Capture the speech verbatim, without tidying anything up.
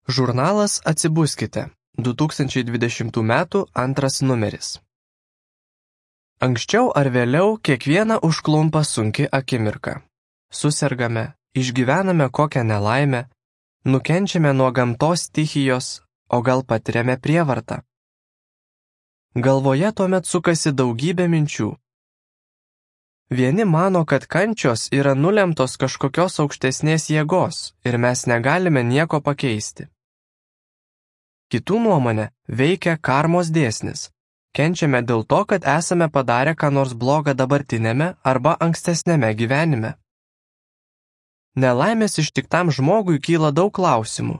Žurnalas Atsibuskite, du tūkstančiai dvidešimtų metų antras numeris. Anksčiau ar vėliau kiekvieną užklumpa sunki akimirka. Susergame, išgyvename kokią nelaimę, nukenčiame nuo gamtos stichijos, o gal patiriame prievartą. Galvoje tuomet sukasi daugybė minčių. Vieni mano, kad kančios yra nulemtos kažkokios aukštesnės jėgos ir mes negalime nieko pakeisti. Kitų nuomonė veikia karmos dėsnis. Kenčiame dėl to, kad esame padarę ką nors blogą dabartinėme arba ankstesnėme gyvenime. Nelaimės ištiktam žmogui kyla daug klausimų.